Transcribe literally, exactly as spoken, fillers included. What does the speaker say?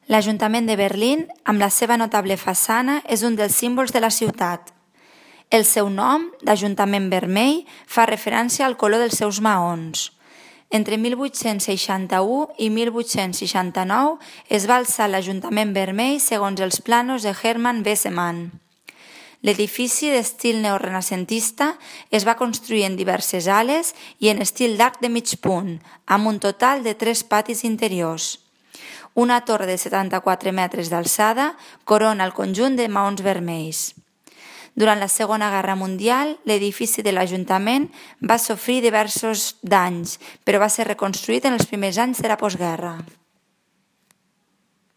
L'Ajuntament de Berlín, amb la seva notable façana, és un dels símbols de la ciutat. El seu nom, d'Ajuntament Vermell, fa referència al color dels seus maons. Entre mil vuit-cents seixanta-u i mil vuit-cents seixanta-nou es va alçar l'Ajuntament Vermell segons els planos de Hermann Wessemann. L'edifici d'estil neorenacentista es va construir en diverses ales i en estil d'arc de mig punt, amb un total de tres patis interiors. Una torre de setanta-quatre metres d'alçada corona el conjunt de maons vermells. Durant la Segona Guerra Mundial, l'edifici de l'Ajuntament va sofrir diversos danys, però va ser reconstruït en els primers anys de la postguerra.